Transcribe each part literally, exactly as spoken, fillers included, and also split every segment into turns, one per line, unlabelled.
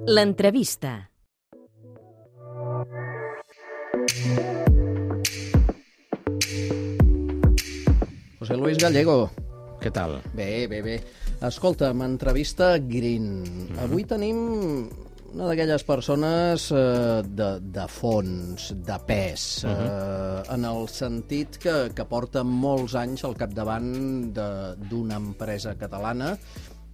L'entrevista.
José Luis Gallego.
Què tal?
Bé, bé, bé. Escolta'm, entrevista Green. Mm-hmm. Avui tenim una d'aquelles persones eh, de, de fons, de pes, mm-hmm. eh, en el sentit que, que porta molts anys al capdavant d'una empresa catalana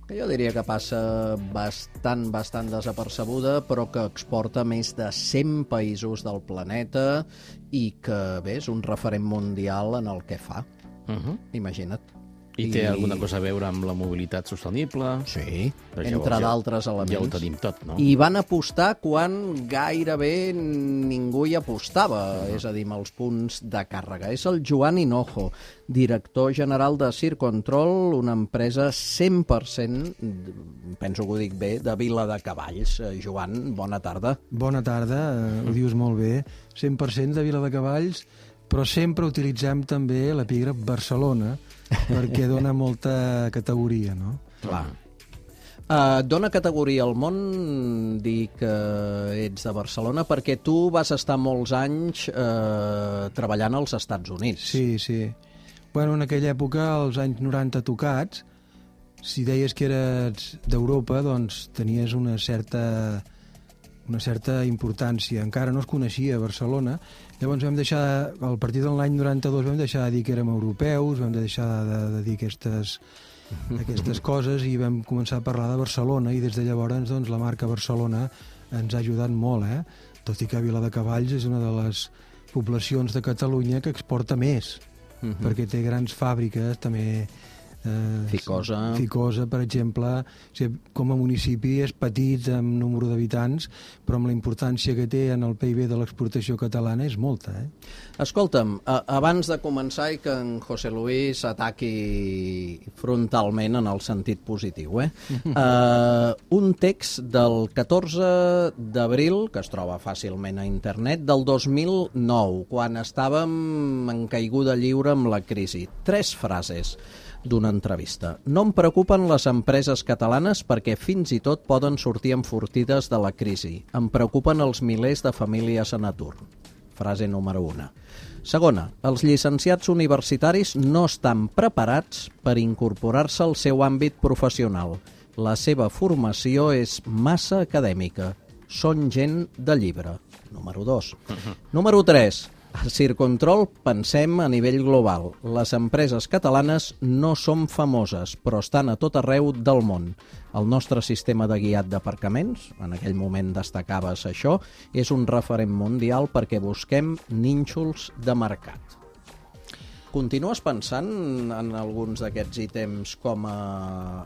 que jo diria que passa bastant, bastant desapercebuda, però que exporta més de cent països del planeta i que, bé, és un referent mundial en el que fa.
Uh-huh.
Imagina't.
I té I... alguna cosa a veure amb la mobilitat sostenible?
Sí, Però entre d'altres elements.
Ja ho tenim tot, no?
I van apostar quan gairebé ningú hi apostava, uh-huh. és a dir, amb els punts de càrrega. És el Joan Hinojo, director general de Circ Control, una empresa cent per cent, penso que ho dic bé, de Viladecavalls. Joan, bona tarda.
Bona tarda, ho dius molt bé. cent per cent de Viladecavalls, però sempre utilitzem també l'epígraf Barcelona, perquè dona molta categoria, no?
Clar. Uh, dona categoria al món dir que ets de Barcelona perquè tu vas estar molts anys uh, treballant als Estats Units.
Sí, sí. Bueno, en aquella època, als anys noranta tocats, si deies que eres d'Europa, doncs tenies una certa... una certa importància. Encara no es coneixia Barcelona. Llavors vam deixar, a partir de l'any noranta-dos vam deixar de dir que érem europeus, vam deixar de, de dir aquestes, aquestes coses i vam començar a parlar de Barcelona i des de llavors doncs, la marca Barcelona ens ha ajudat molt, eh? Tot i que Viladecavalls és una de les poblacions de Catalunya que exporta més, uh-huh. perquè té grans fàbriques, també... Eh,
Ficosa.
Ficosa, per exemple, o sigui, com a municipi és petit en número d'habitants, però amb la importància que té en el P I B de l'exportació catalana és molta. Eh?
Escolta'm, a, abans de començar i que en José Luis ataqui frontalment en el sentit positiu, eh? uh, un text del catorze d'abril, que es troba fàcilment a internet, del dos mil nou, quan estàvem en caiguda lliure amb la crisi. Tres frases d'una entrevista. No em preocupen les empreses catalanes perquè fins i tot poden sortir enfortides de la crisi. Em preocupen els milers de famílies en atur. Frase número una. Segona, els llicenciats universitaris no estan preparats per incorporar-se al seu àmbit professional. La seva formació és massa acadèmica. Són gent de llibre. Número dos. Número tres. A Circ Control pensem a nivell global. Les empreses catalanes no són famoses, però estan a tot arreu del món. El nostre sistema de guiat d'aparcaments, en aquell moment destacaves això, és un referent mundial perquè busquem nínxols de mercat. Continues pensant en alguns d'aquests ítems com a,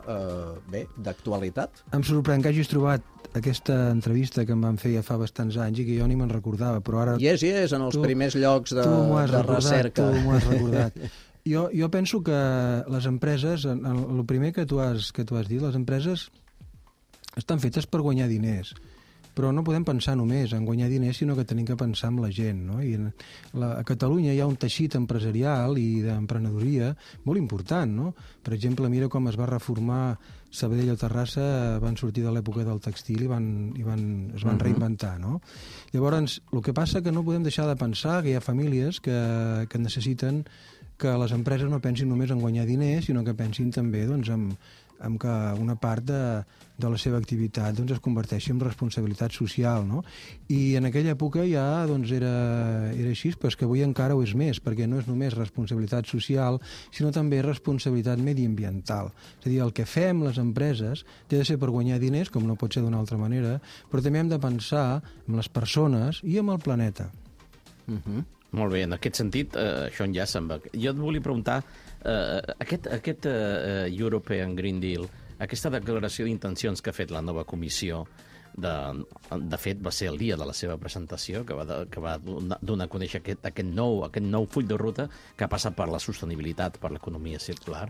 eh, bé, d'actualitat?
Em sorprèn que hagis trobat aquesta entrevista que em van fer ja fa bastants anys i que jo ni me'n recordava, però ara...
Yes, yes, en els tu, primers llocs de, de recordat, recerca.
Tu m'ho has recordat. Jo, jo penso que les empreses, el primer que tu, has, que tu has dit, les empreses estan fetes per guanyar diners, però no podem pensar només en guanyar diners, sinó que tenim que pensar en la gent, no? I en la, a Catalunya hi ha un teixit empresarial i d'emprenedoria molt important, no? Per exemple, mira com es va reformar Sabadell o Terrassa, van sortir de l'època del textil i, van, i van, es van uh-huh. reinventar, no? Llavors, el que passa que no podem deixar de pensar que hi ha famílies que, que necessiten que les empreses no pensin només en guanyar diners, sinó que pensin també doncs, en, en que una part de, de la seva activitat doncs, es converteixi en responsabilitat social, no? I en aquella època ja doncs, era, era així, però és que avui encara ho és més, perquè no és només responsabilitat social, sinó també responsabilitat mediambiental. És a dir, el que fem les empreses té de ser per guanyar diners, com no pot ser d'una altra manera, però també hem de pensar en les persones i en el planeta.
Uh-huh. Molt bé, en aquest sentit, eh, això ja se'n va. Jo et volia preguntar, eh, aquest, aquest eh, European Green Deal, aquesta declaració d'intencions que ha fet la nova comissió, de, de fet va ser el dia de la seva presentació, que va, de, que va donar a conèixer aquest, aquest, nou, aquest nou full de ruta que passa per la sostenibilitat, per l'economia circular.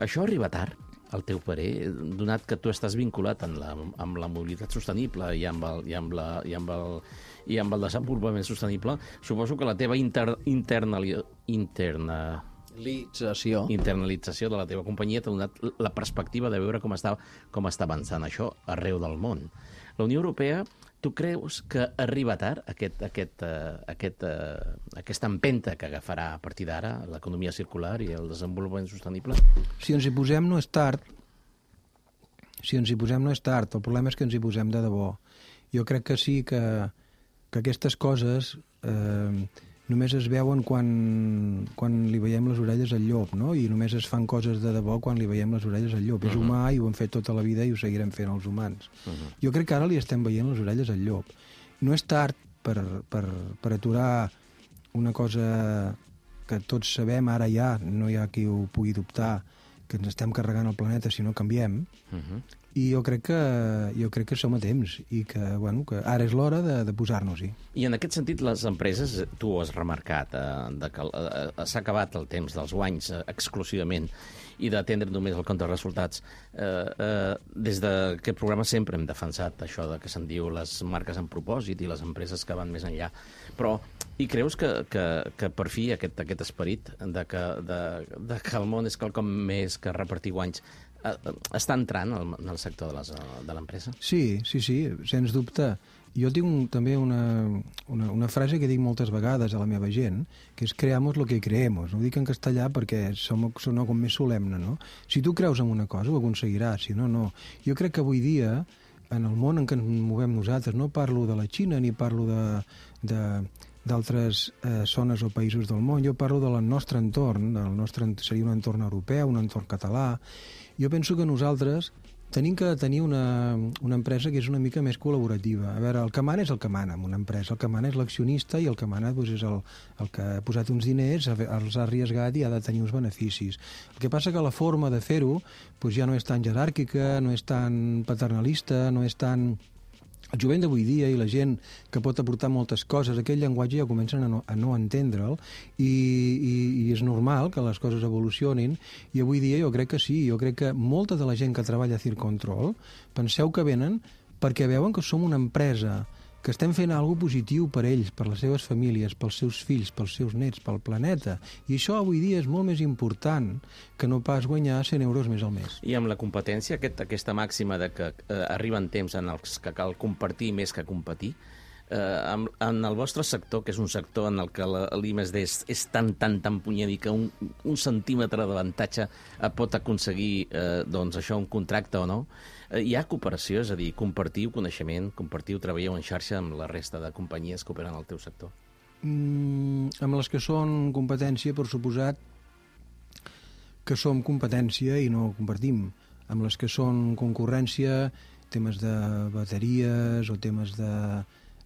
Això arriba tard, al teu parer, donat que tu estàs vinculat amb la, amb la mobilitat sostenible i amb el, i amb la, i amb el, i amb el desenvolupament sostenible, suposo que la teva inter, interna, interna
Internalització.
internalització de la teva companyia t'ha donat la perspectiva de veure com està, com està avançant això arreu del món. La Unió Europea, tu creus que arriba tard aquest, aquest, uh, aquest, uh, aquesta empenta que agafarà a partir d'ara l'economia circular i el desenvolupament sostenible?
Si ens hi posem no és tard. Si ens hi posem no és tard. El problema és que ens hi posem de debò. Jo crec que sí que, que aquestes coses eh, només es veuen quan, quan li veiem les orelles al llop, no? I només es fan coses de debò quan li veiem les orelles al llop. Uh -huh. És humà i ho hem fet tota la vida i ho seguirem fent els humans. Uh -huh. Jo crec que ara li estem veient les orelles al llop. No és tard per, per, per aturar una cosa que tots sabem, ara ja, no hi ha qui ho pugui dubtar, que ens estem carregant el planeta si no canviem. Uh -huh. I jo crec que jo crec que som a temps i que, bueno, que ara és l'hora de, de posar-nos-hi.
I en aquest sentit, les empreses, tu ho has remarcat, eh, de que eh, s'ha acabat el temps dels guanys eh, exclusivament i d'atendre només el compte de resultats. Eh, eh, des d'aquest programa sempre hem defensat això de que se'n diu les marques amb propòsit i les empreses que van més enllà. Però, i creus que, que, que per fi aquest, aquest esperit de que, de, de que el món és quelcom més que repartir guanys està entrant en el sector de l'empresa?
Sí, sí, sí, sens dubte. Jo tinc un, també una, una, una frase que dic moltes vegades a la meva gent, que és creamos lo que creemos. No ho dic en castellà perquè som, sona com més solemne, no? Si tu creus en una cosa, ho aconseguiràs, si no, no. Jo crec que avui dia, en el món en què ens movem nosaltres, no parlo de la Xina ni parlo de... de d'altres eh, zones o països del món, jo parlo del nostre entorn, del nostre, seria un entorn europeu, un entorn català. Jo penso que nosaltres tenim que tenir una, una empresa que és una mica més col·laborativa. A veure, el que mana és el que mana en una empresa, el que mana és l'accionista i el que mana doncs, és el, el que ha posat uns diners, els ha arriesgat i ha de tenir uns beneficis. El que passa que la forma de fer-ho doncs, ja no és tan jeràrquica, no és tan paternalista, no és tan... El jovent d'avui dia i la gent que pot aportar moltes coses, aquell llenguatge ja comencen a no, a no entendre'l i, i, i és normal que les coses evolucionin i avui dia jo crec que sí, jo crec que molta de la gent que treballa a Circontrol penseu que venen perquè veuen que som una empresa que estem fent alguna positiu per ells, per les seves famílies, pels seus fills, pels seus nets, pel planeta. I això avui dia és molt més important que no pas guanyar cent euros més al mes.
I amb la competència, aquest, aquesta màxima de que eh, arriben temps en els que cal compartir més que competir, eh, en, en el vostre sector, que és un sector en el que l'I més D és, és tan, tan, tan punyent que un, un centímetre d'avantatge pot aconseguir eh, doncs això, un contracte o no, hi ha cooperació, és a dir, compartiu coneixement, compartiu, treballeu en xarxa amb la resta de companyies que operen al teu sector?
Mm, amb les que són competència, per suposat que som competència i no compartim. Amb les que són concurrència, temes de bateries o temes de,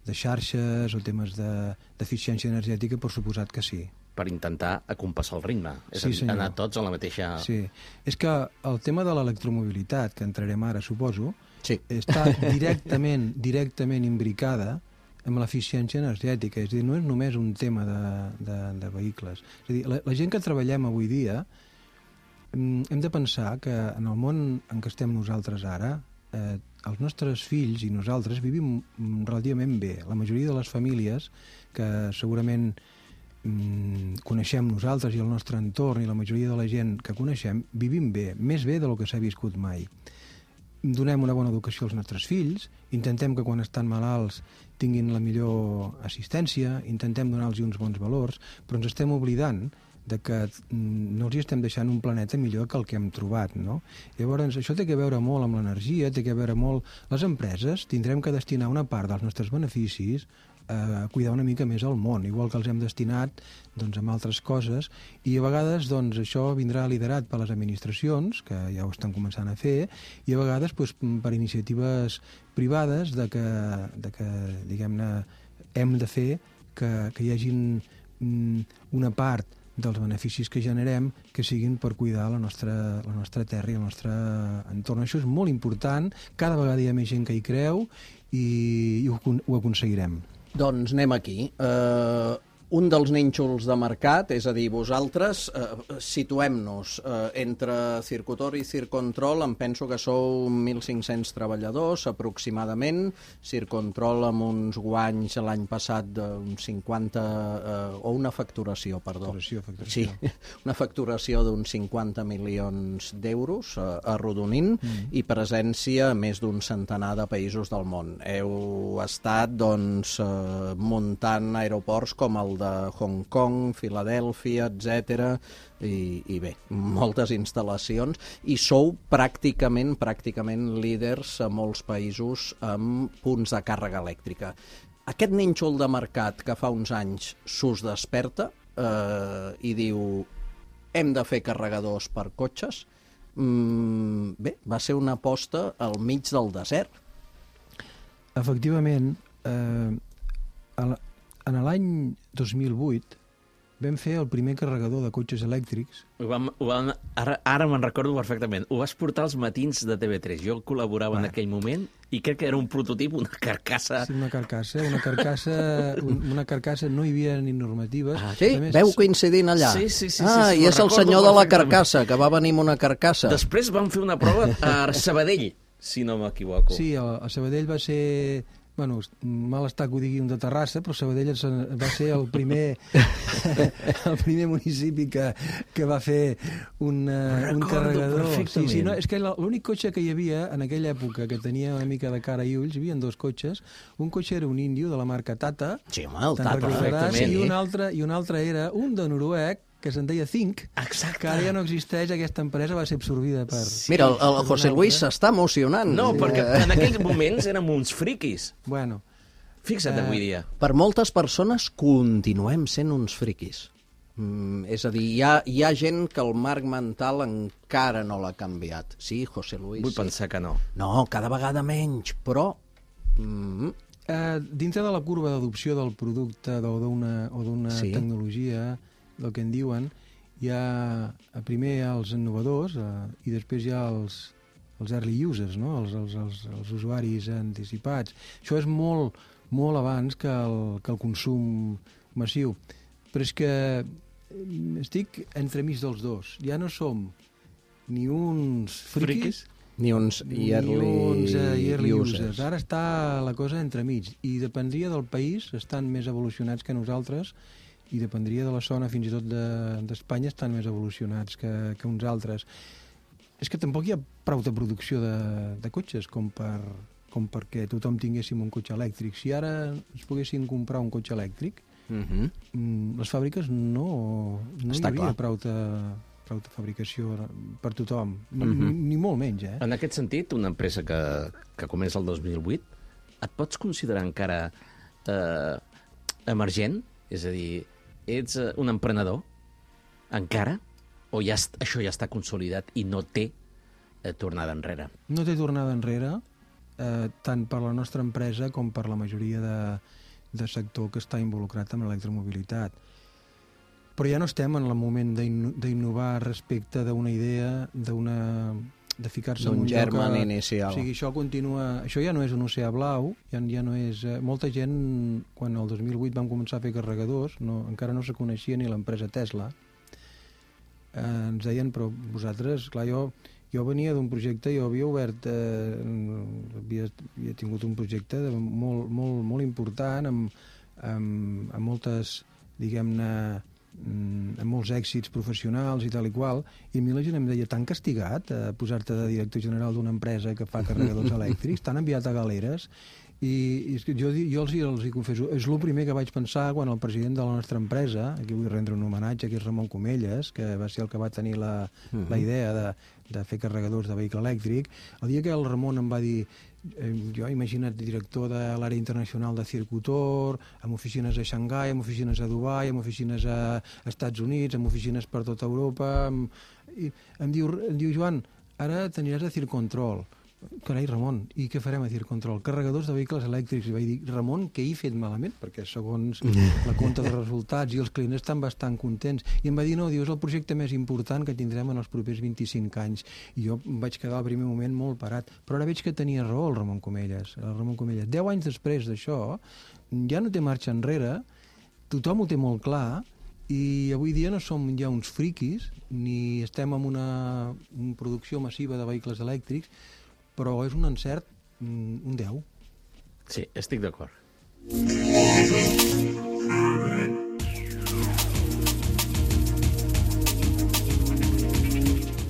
de xarxes o temes d'eficiència de, energètica, per suposat que sí.
Per intentar acompassar el ritme, és
sí,
a dir, anar tots a la mateixa...
Sí, és que el tema de l'electromobilitat, que entrarem ara, suposo,
sí.
està directament directament imbricada amb l'eficiència energètica, és a dir, no és només un tema de, de, de vehicles. És a dir, la, la gent que treballem avui dia hem de pensar que en el món en què estem nosaltres ara, eh, els nostres fills i nosaltres vivim relativament bé. La majoria de les famílies que segurament coneixem nosaltres i el nostre entorn i la majoria de la gent que coneixem vivim bé, més bé del que s'ha viscut mai. Donem una bona educació als nostres fills, intentem que quan estan malalts tinguin la millor assistència, intentem donar-los uns bons valors, però ens estem oblidant de que no els estem deixant un planeta millor que el que hem trobat, no? Llavors, això té que veure molt amb l'energia, té que veure molt... Les empreses tindrem que destinar una part dels nostres beneficis a cuidar una mica més el món, igual que els hem destinat doncs, amb altres coses, i a vegades doncs, això vindrà liderat per les administracions, que ja ho estan començant a fer, i a vegades doncs, per iniciatives privades de que, de que diguem-ne, hem de fer que, que hi hagin una part dels beneficis que generem que siguin per cuidar la nostra, la nostra terra i el nostre entorn. Això és molt important, cada vegada hi ha més gent que hi creu i, i ho, ho aconseguirem.
Doncs anem aquí. Uh, un dels nínxols de mercat, és a dir, vosaltres eh, situem-nos eh, entre Circutor i Circontrol, em penso que sou mil cinc-cents treballadors aproximadament, Circontrol amb uns guanys l'any passat d'uns cinquanta, eh, o una facturació, perdó.
Facturació, facturació.
Sí, una facturació d'uns cinquanta milions d'euros eh, arrodonint mm. i presència a més d'un centenar de països del món. Heu estat, doncs, eh, muntant aeroports com el de de Hong Kong, Filadèlfia, etcètera, i, i bé, moltes instal·lacions, i sou pràcticament, pràcticament líders a molts països amb punts de càrrega elèctrica. Aquest nínxol de mercat que fa uns anys s'us desperta eh, i diu hem de fer carregadors per cotxes, mm, bé, va ser una aposta al mig del desert.
Efectivament, eh, a la en l'any dos mil vuit vam fer el primer carregador de cotxes elèctrics.
Ho vam, ho vam, ara ara me'n recordo perfectament. Ho vas portar als matins de T V tres. Jo col·laborava ah. en aquell moment i crec que era un prototip, una carcassa...
Sí, una carcassa. Una carcassa, una carcassa no hi havia ni normatives.
Ah, sí? Més... Veu coincidint allà?
Sí, sí, sí.
Ah,
sí, sí
i és el senyor de la carcassa, que va venir amb una carcassa.
Després vam fer una prova a Sabadell, si no m'equivoco.
Sí, a, a Sabadell va ser... Bueno, mal està que ho digui un de Terrassa, però Sabadell va ser el primer el primer municipi que, que va fer un, uh, un carregador. Sí, sí, no, és que l'únic cotxe que hi havia en aquella època que tenia una mica de cara i ulls, hi havia dos cotxes. Un cotxe era un índio de la marca Tata.
Sí, home, el Tata, perfectament.
I un altre, i un altre era un de Noruec, que se'n deia Think,
exacte,
que ara ja no existeix, aquesta empresa va ser absorbida per...
Sí. Mira, el, el José Luis s'està emocionant.
No, sí, perquè en aquells moments érem uns friquis.
Bueno.
Fixa't avui dia.
Per moltes persones continuem sent uns friquis. Mm, és a dir, hi ha, hi ha gent que el marc mental encara no l'ha canviat. Sí, José Luis?
Vull
sí.
pensar que no.
No, cada vegada menys, però... Mm,
eh, dintre de la curva d'adopció del producte o d'una o d'una sí. tecnologia... el que en diuen, hi ha primer els innovadors eh, i després hi ha els, els early users, no? els, els, els, els usuaris anticipats. Això és molt, molt abans que el, que el consum massiu. Però és que estic entremig dels dos. Ja no som ni uns friquis,
ni uns early,
ni uns, uh, early users.
users.
Ara està la cosa entremig i dependria del país, estan més evolucionats que nosaltres, i dependria de la zona, fins i tot d'Espanya, de, estan més evolucionats que, que uns altres. És que tampoc hi ha prou de producció de, de cotxes com, per, com perquè tothom tinguéssim un cotxe elèctric. Si ara ens poguessin comprar un cotxe elèctric, uh-huh. les fàbriques no, no hi hauria prou de, prou de fabricació per tothom, ni, uh-huh. ni molt menys. Eh?
En aquest sentit, una empresa que, que comença el dos mil vuit, et pots considerar encara eh, emergent? És a dir, ets un emprenedor encara? O ja, això ja està consolidat i no té eh, tornada enrere?
No té tornada enrere, eh, tant per la nostra empresa com per la majoria de, de sector que està involucrat en l'electromobilitat. Però ja no estem en el moment d'innovar respecte d'una idea, d'una... de ficar-se en un
germen
lloc...
inicial.
O sigui, això continua... Això ja no és un oceà blau, ja, ja no és... Eh, molta gent, quan el dos mil vuit vam començar a fer carregadors, no, encara no se coneixia ni l'empresa Tesla, eh, ens deien, però vosaltres... Clar, jo, jo venia d'un projecte, jo havia obert... Eh, havia, havia tingut un projecte de, molt, molt, molt important, amb, amb, amb moltes, diguem-ne, amb molts èxits professionals i tal i qual, i a mi la gent em deia, tan castigat a posar-te de director general d'una empresa que fa carregadors elèctrics, tan enviat a galeres, i, i jo, jo els, els hi confesso, és el primer que vaig pensar quan el president de la nostra empresa, aquí vull rendre un homenatge, que és Ramon Comelles, que va ser el que va tenir la, uh-huh. la idea de, de fer carregadors de vehicle elèctric, el dia que el Ramon em va dir, jo imagina't director de l'àrea internacional de Circutor, amb oficines a Xangai, amb oficines a Dubai, amb oficines a Estats Units, amb oficines per tota Europa, amb... I em diu, em diu, Joan, ara t'aniràs a Circontrol. Carai, Ramon, i què farem a Circontrol? Carregadors de vehicles elèctrics. I vaig dir, Ramon, què he fet malament? Perquè segons la compta de resultats i els clients estan bastant contents. I em va dir, no, diu, és el projecte més important que tindrem en els propers vint-i-cinc anys. I jo em vaig quedar al primer moment molt parat. Però ara veig que tenia raó el Ramon Comelles. El Ramon Comelles. Deu anys després d'això, ja no té marxa enrere tothom ho té molt clar i avui dia no som ja uns friquis ni estem en una, una producció massiva de vehicles elèctrics, però és un encert, un deu.
Sí, estic d'acord.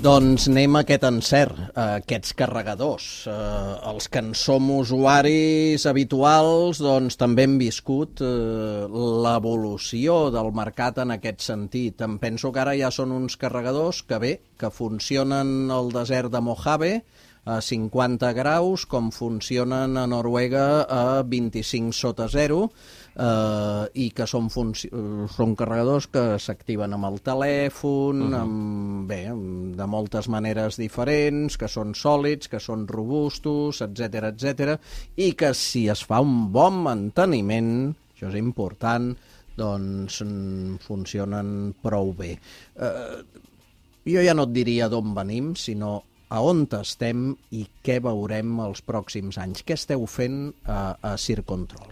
Doncs anem a aquest encert, a aquests carregadors. Eh, els que en som usuaris habituals doncs, també hem viscut eh, l'evolució del mercat en aquest sentit. Em penso que ara ja són uns carregadors que bé, que funcionen al desert de Mojave a cinquanta graus, com funcionen a Noruega a vint-i-cinc sota zero, eh, i que són, són carregadors que s'activen amb el telèfon, uh-huh. amb, bé, de moltes maneres diferents, que són sòlids, que són robustos, etcètera, etcètera, i que si es fa un bon manteniment, això és important, doncs funcionen prou bé. Eh, jo ja no et diria d'on venim, sinó a on estem i què veurem els pròxims anys. Què esteu fent a, a Circ Control?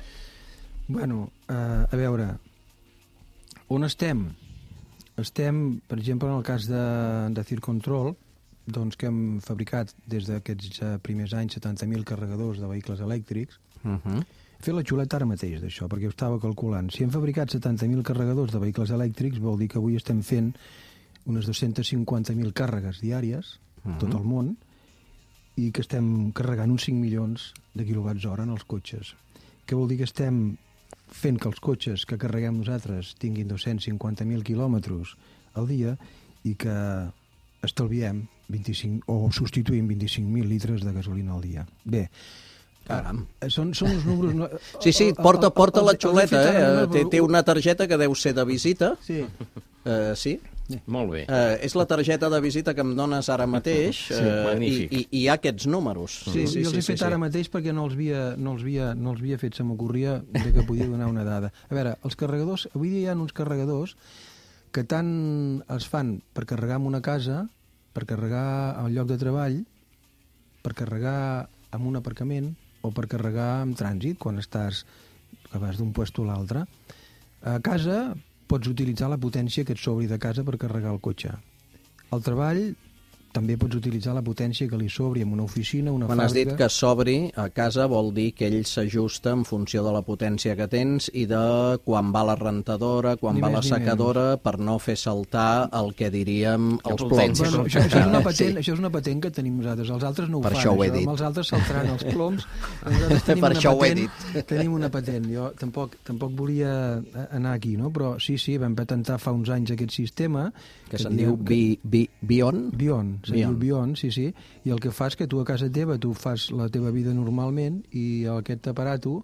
Bueno, uh, a veure, on estem? Estem, per exemple, en el cas de, de Circ Control, doncs que hem fabricat des d'aquests uh, primers anys setanta mil carregadors de vehicles elèctrics. Uh-huh. He fet la xuleta ara mateix d'això, perquè ho estava calculant. Si hem fabricat setanta mil carregadors de vehicles elèctrics, vol dir que avui estem fent unes dues-centes cinquanta mil càrregues diàries, uh-huh. tot el món, i que estem carregant uns cinc milions de quilowatts hora en els cotxes. Què vol dir? Que estem fent que els cotxes que carreguem nosaltres tinguin dos-cents cinquanta mil quilòmetres al dia i que estalviem vint-i-cinc o substituïm vint-i-cinc mil litres de gasolina al dia. Bé,
caram.
Són, són uns números... No...
Sí, sí, porta, porta la xuleta, eh? Té, té una targeta que deu ser de visita.
Sí.
Uh, sí?
Molt bé.
Uh, és la targeta de visita que em dones ara mateix, uh,
sí,
i, i, i hi ha aquests números.
Sí, sí, sí, jo els he sí, fet sí, ara sí. mateix perquè no els havia, no els havia, no els havia fet, se m'ocorria que podia donar una dada. A veure, els carregadors, avui dia hi ha uns carregadors que tant es fan per carregar en una casa, per carregar al lloc de treball, per carregar en un aparcament o per carregar en trànsit, quan estàs que vas d'un puesto a l'altre. A casa pots utilitzar la potència que et sobri de casa per carregar el cotxe. Al treball també pots utilitzar la potència que li sobri en una oficina, una
Quan
fàbrica...
has dit que sobri a casa vol dir que ell s'ajusta en funció de la potència que tens i de quan va la rentadora, quan
Ni
va
més
la
ni
secadora,
menys.
Per no fer saltar el que diríem
Que
els
potència
ploms.
Bueno, això, això, és una patent, sí. això és una patent que tenim nosaltres. Els altres no ho
Per
fan.
això ho he dit.
Els altres saltaran els ploms. Nosaltres tenim
Per
una
això ho he
patent,
dit.
Tenim una patent. Jo tampoc, tampoc volia anar aquí, no? Però sí, sí, vam patentar fa uns anys aquest sistema.
Que, que se'n diu bi, bi, Bion?
Bion, se'n diu Bion, sí, sí. I el que fa és que tu a casa teva, tu fas la teva vida normalment i aquest aparato,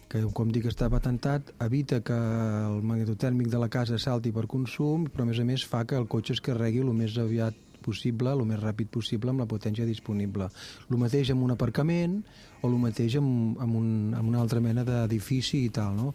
que com dic està patentat, evita que el magnetotèrmic de la casa salti per consum, però a més a més fa que el cotxe es carregui el més aviat possible, el més ràpid possible amb la potència disponible. El mateix amb un aparcament o el mateix amb, amb, un, amb una altra mena d'edifici i tal, no?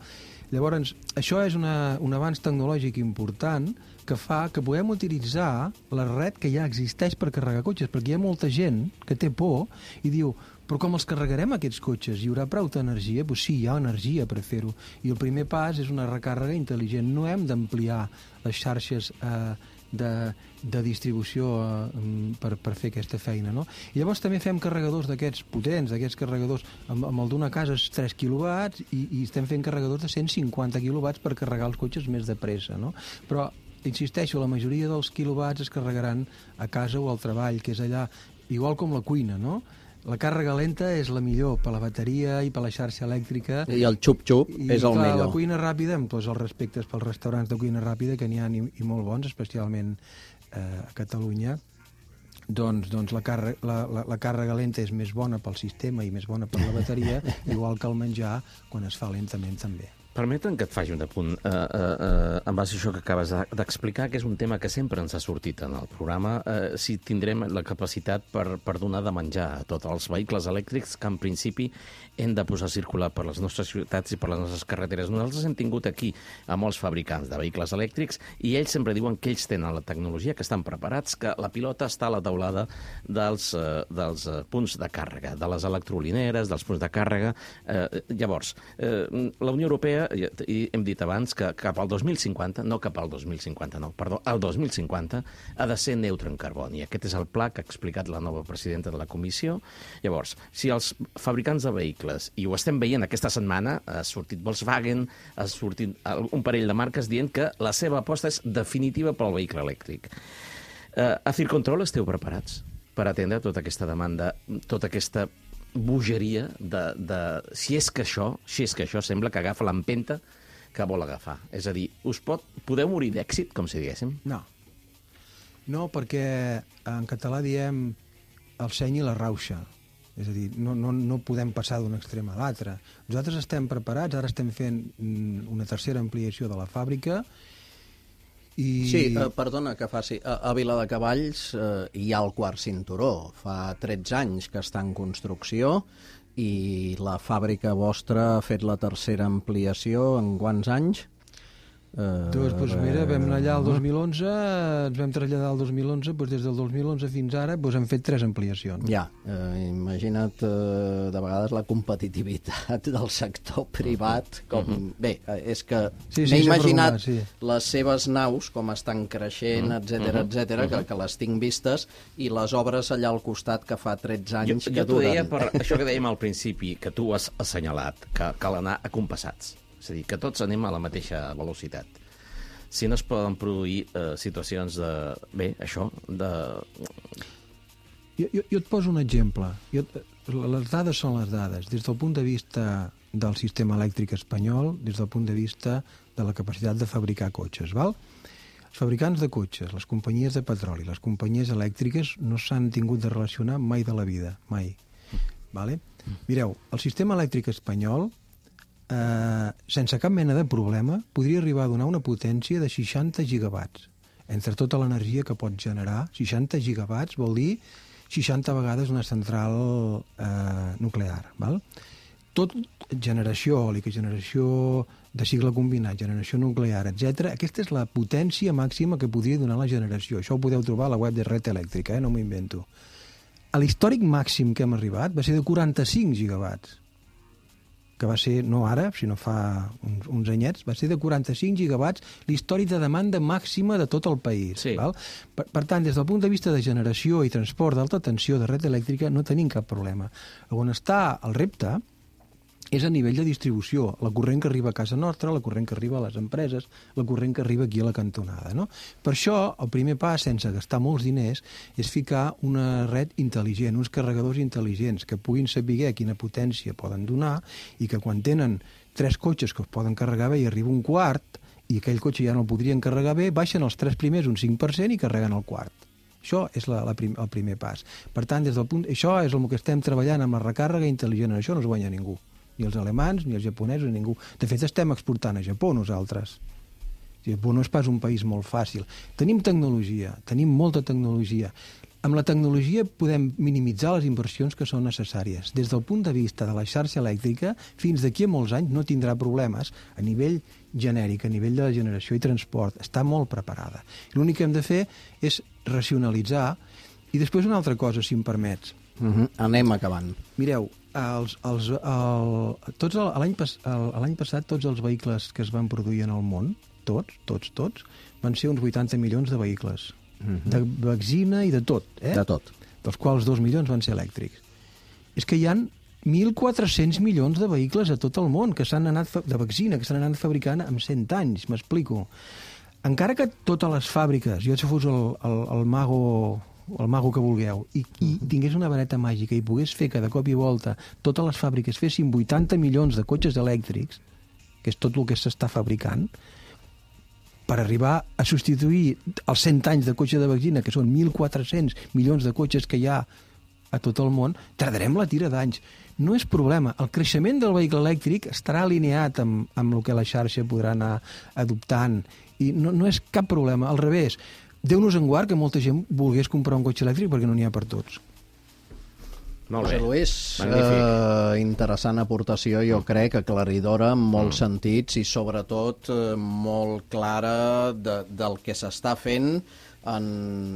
Llavors, això és una, un avanç tecnològic important que fa que puguem utilitzar la red que ja existeix per carregar cotxes, perquè hi ha molta gent que té por i diu, però com els carregarem aquests cotxes? Hi haurà prou d'energia? Doncs sí, hi ha energia per fer-ho. I el primer pas és una recàrrega intel·ligent. No hem d'ampliar les xarxes eh, de, de distribució eh, per, per fer aquesta feina, no? I llavors també fem carregadors d'aquests potents, d'aquests carregadors, amb, amb el d'una casa és tres quilowatts i, i estem fent carregadors de cent cinquanta quilowatts per carregar els cotxes més de pressa, no? Però, insisteixo, la majoria dels quilowatts es carregaran a casa o al treball, que és allà, igual com la cuina, no? La càrrega lenta és la millor per la bateria i per la xarxa elèctrica.
I el xup-xup és el
clar,
millor.
La cuina ràpida, amb tots els respectes pels restaurants de cuina ràpida, que n'hi ha i, i molt bons, especialment eh, a Catalunya, doncs, doncs la, càrrega, la, la, la càrrega lenta és més bona pel sistema i més bona per la bateria, igual que el menjar, quan es fa lentament també.
Permeten que et faci un apunt eh, eh, eh, en base a això que acabes d'explicar, que és un tema que sempre ens ha sortit en el programa, eh, si tindrem la capacitat per, per donar de menjar a tots els vehicles elèctrics que en principi hem de posar a circular per les nostres ciutats i per les nostres carreteres. Nosaltres hem tingut aquí a molts fabricants de vehicles elèctrics i ells sempre diuen que ells tenen la tecnologia, que estan preparats, que la pilota està a la taulada dels, eh, dels eh, punts de càrrega, de les electrolineres, dels punts de càrrega. Eh, llavors, eh, la Unió Europea fàbrica, i hem dit abans que cap al dos mil cinquanta, no cap al dos mil cinquanta, no, perdó, al dos mil cinquanta ha de ser neutre en carboni. Aquest és el pla que ha explicat la nova presidenta de la comissió. Llavors, si els fabricants de vehicles, i ho estem veient aquesta setmana, ha sortit Volkswagen, ha sortit un parell de marques dient que la seva aposta és definitiva pel vehicle elèctric. Uh, a Circontrol esteu preparats per atendre tota aquesta demanda, tota aquesta bogeria de, de... Si és que això, si és que això sembla que agafa l'empenta que vol agafar. És a dir, us pot, podeu morir d'èxit, com si diguéssim?
No. No, perquè en català diem el seny i la rauxa. És a dir, no, no, no podem passar d'un extrem a l'altre. Nosaltres estem preparats, ara estem fent una tercera ampliació de la fàbrica i...
Sí, eh, perdona que faci. A, a Viladecavalls eh, hi ha el quart cinturó. Fa tretze anys que està en construcció i la fàbrica vostra ha fet la tercera ampliació en quants anys?
Uh, doncs, doncs mira, vam anar allà el dos mil onze, ens vam traslladar el dos mil onze, doncs des del dos mil onze fins ara doncs hem fet tres ampliacions.
Ja, eh, imagina't eh, de vegades la competitivitat del sector privat, com... Uh -huh. Bé, és que
sí, sí,
m'he imaginat
sí.
les seves naus, com estan creixent, etcètera, uh -huh. etcètera, uh -huh. que, que les tinc vistes, i les obres allà al costat que fa tretze anys
jo,
que
jo
duren.
Jo t'ho deia per això que dèiem al principi, que tu has assenyalat, que cal anar acompassats. És a dir, que tots anem a la mateixa velocitat. Si no es poden produir eh, situacions de... Bé, això, de...
Jo, jo, jo et poso un exemple. Jo, les dades són les dades. Des del punt de vista del sistema elèctric espanyol, des del punt de vista de la capacitat de fabricar cotxes, val? Els fabricants de cotxes, les companyies de petroli, les companyies elèctriques no s'han tingut de relacionar mai de la vida, mai. Vale? Mireu, el sistema elèctric espanyol Eh, sense cap mena de problema, podria arribar a donar una potència de seixanta gigawatts. Entre tota l'energia que pot generar, seixanta gigawatts vol dir seixanta vegades una central eh, nuclear. Val? Tot generació eòlica, generació de cicle combinat, generació nuclear, etcètera. Aquesta és la potència màxima que podria donar la generació. Això ho podeu trobar a la web de Red Elèctrica, eh? No m'ho invento. L'històric màxim que hem arribat va ser de quaranta-cinc gigawatts. Que va ser, no ara, sinó fa uns, uns anyets, va ser de quaranta-cinc gigawatts l'històric de demanda màxima de tot el país.
Sí.
Val? Per, per tant, des del punt de vista de generació i transport d'alta tensió de red elèctrica no tenim cap problema. On està el repte és a nivell de distribució, la corrent que arriba a casa nostra, la corrent que arriba a les empreses, la corrent que arriba aquí a la cantonada. No? Per això, el primer pas, sense gastar molts diners, és ficar una red intel·ligent, uns carregadors intel·ligents que puguin saber quina potència poden donar i que quan tenen tres cotxes que es poden carregar bé i arriba un quart i aquell cotxe ja no el podrien carregar bé, baixen els tres primers un cinc per cent i carreguen el quart. Això és la, la prim, el primer pas. Per tant, des del punt, això és el que estem treballant amb la recàrrega intel·ligent. En això no es guanya ningú. Ni els alemans, ni els japonesos, ni ningú. De fet, estem exportant a Japó nosaltres. Japó no és pas un país molt fàcil. Tenim tecnologia, tenim molta tecnologia. Amb la tecnologia podem minimitzar les inversions que són necessàries. Des del punt de vista de la xarxa elèctrica, fins d'aquí a molts anys no tindrà problemes a nivell genèric, a nivell de la generació i transport. Està molt preparada. L'únic que hem de fer és racionalitzar. I després una altra cosa, si em permets.
Uh-huh. Anem acabant.
Mireu, els, els, el, tots el, l'any pas, l'any passat tots els vehicles que es van produir en el món, tots, tots, tots, van ser uns vuitanta milions de vehicles. Uh-huh. De benzina i de tot. Eh?
De tot.
Dels quals dos milions van ser elèctrics. És que hi han mil quatre-cents milions de vehicles a tot el món que s'han anat de benzina, que s'han anat fabricant en cent anys, m'explico. Encara que totes les fàbriques, jo si fos el, el, el mago... el mago que vulgueu, i, i tingués una vareta màgica i pogués fer que de cop i volta totes les fàbriques fessin vuitanta milions de cotxes elèctrics, que és tot el que s'està fabricant, per arribar a substituir els cent anys de cotxe de benzina, que són mil quatre-cents milions de cotxes que hi ha a tot el món, tardarem la tira d'anys. No és problema. El creixement del vehicle elèctric estarà alineat amb, amb el que la xarxa podrà anar adoptant, i no, no és cap problema. Al revés, Déu-nos en guard que molta gent volgués comprar un cotxe elèctric perquè no n'hi ha per tots.
Molt bé.
José Luis, eh, interessant aportació, jo crec, aclaridora en molts mm. sentits i sobretot eh, molt clara de, del que s'està fent en,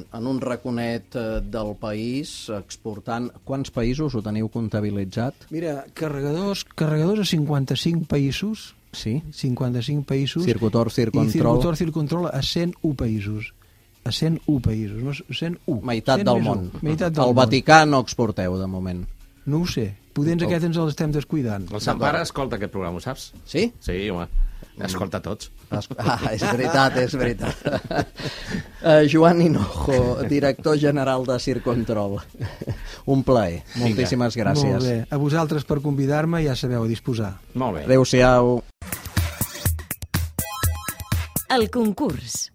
en un raconet eh, del país, exportant... Quants països ho teniu comptabilitzat?
Mira, carregadors, carregadors a cinquanta-cinc països,
Sí.
cinquanta-cinc països.
Circutor, Circontrol.
I Circutor, Circontrol a cent u països. A cent u països, no, cent u.
Meitat
cent
del
més
món.
u. Meitat del
El
món.
Vaticà no exporteu, de moment.
No ho sé. Podents
Oh.
aquest ens els estem descuidant.
El Sant Pare escolta aquest programa, ho saps?
Sí?
Sí, home. Escolta tots.
Ah, és veritat, és veritat. Uh, Joan Hinojo, director general de Circontrol. Un plaer. Moltíssimes gràcies.
Molt bé. A vosaltres per convidar-me, ja sabeu, a disposar.
Molt bé.
Adéu-siau.
El concurs.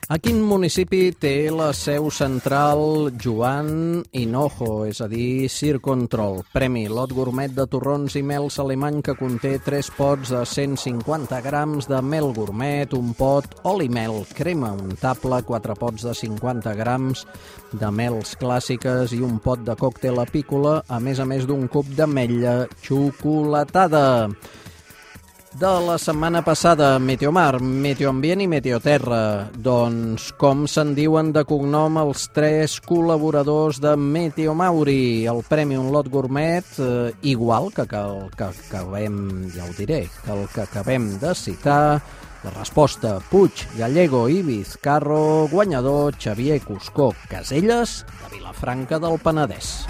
A quin municipi té la seu central Joan Hinojo, és a dir, Circontrol? Premi Lot Gourmet de torrons i mels alemany que conté tres pots de cent cinquanta grams de mel gourmet, un pot oli mel, crema untable, quatre pots de cinquanta grams de mels clàssiques i un pot de còctel apícola, a més a més d'un cub d'ametlla xocolatada. De la setmana passada, Meteomar, Meteoambient i Meteoterra. Doncs com se'n diuen de cognom els tres col·laboradors de Meteomauri? El Premi Un Lot Gourmet, eh, igual que, que el que acabem, ja ho diré, que el que acabem de citar. La resposta, Puig, Gallego i Vizcarro, guanyador Xavier Cuscó Caselles, de Vilafranca del Penedès.